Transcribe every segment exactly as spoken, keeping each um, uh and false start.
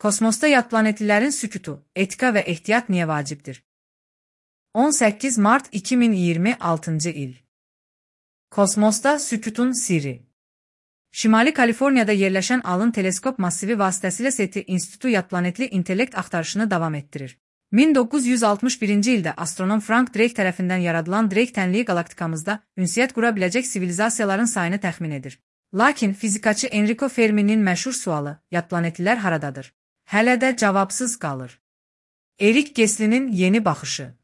Kosmosda yad planetlilərin sükutu, etika və ehtiyat niyə vacibdir? on səkkiz mart iki min iyirmi altıncı il. Kosmosda sükutun sirri. Şimali Kaliforniyada yerləşən Allen Teleskop massivi vasitəsilə SETI İnstitutu yad planetli intellekt axtarışını davam etdirir. min doqquz yüz altmış birinci ildə astronom Frank Drake tərəfindən yaradılan Drake tənliyi qalaktikamızda ünsiyyət qura biləcək sivilizasiyaların sayını təxmin edir. Lakin fizikaçı Enrico Fermi'nin məşhur sualı, yad planetlilər haradadır? Hələ də cavabsız qalır. Erik Geslinin yeni baxışı.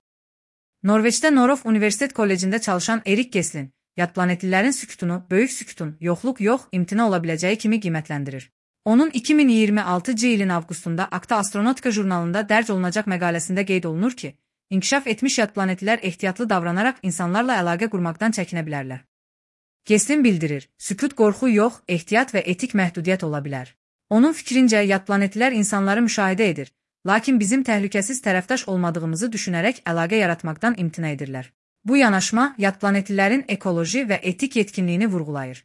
Norveçdə Norof Universitet Kollecində çalışan Erik Geslin, yad planetlilərin sükutunu böyük sükutun, yoxluq yox, imtina ola biləcəyi kimi qiymətləndirir. Onun iki min iyirmi altıncı ilin avqustunda Acta Astronautica jurnalında dərc olunacaq məqaləsində qeyd olunur ki, inkişaf etmiş yad planetlilər ehtiyatlı davranaraq insanlarla əlaqə qurmaqdan çəkinə bilərlər. Geslin bildirir, sükut qorxu yox, ehtiyat və etik məhdudiyyət ola bilər. Onun fikrincə, yad planetlilər insanları müşahidə edir, lakin bizim təhlükəsiz tərəfdaş olmadığımızı düşünərək əlaqə yaratmaqdan imtina edirlər. Bu yanaşma, yad planetlilərin ekoloji və etik yetkinliyini vurğulayır.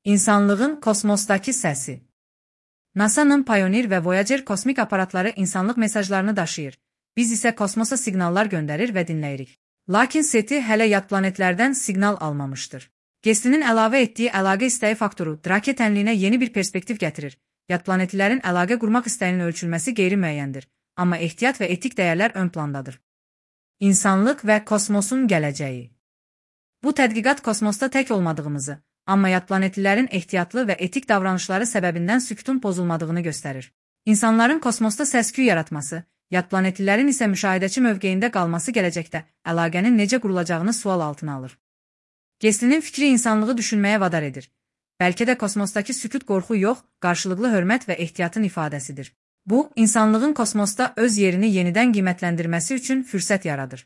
İnsanlığın kosmosdakı səsi. NASA'nın Pioneer və Voyager kosmik aparatları insanlıq mesajlarını daşıyır. Biz isə kosmosa siqnallar göndərir və dinləyirik. Lakin SETI hələ yad planetlərdən siqnal almamışdır. Geslinin əlavə etdiyi əlaqə istəyi faktoru Drake tənliyinə yeni bir perspektiv gətirir. Yad planetlilərin əlaqə qurmaq istəyinin ölçülməsi qeyri-müəyyəndir, amma ehtiyat və etik dəyərlər ön plandadır. İnsanlıq və kosmosun gələcəyi. Bu tədqiqat kosmosda tək olmadığımızı, amma yad planetlilərin ehtiyatlı və etik davranışları səbəbindən sükutun pozulmadığını göstərir. İnsanların kosmosda səs-küy yaratması, yad planetlilərin isə müşahidəçi mövqeyində qalması gələcəkdə əlaqənin necə qurulacağını sual altına alır. Geslinin fikri insanlığı düşünməyə vadar edir. Bəlkə də kosmosdakı sükut qorxu yox, qarşılıqlı hörmət və ehtiyatın ifadəsidir. Bu, insanlığın kosmosda öz yerini yenidən qiymətləndirməsi üçün fürsət yaradır.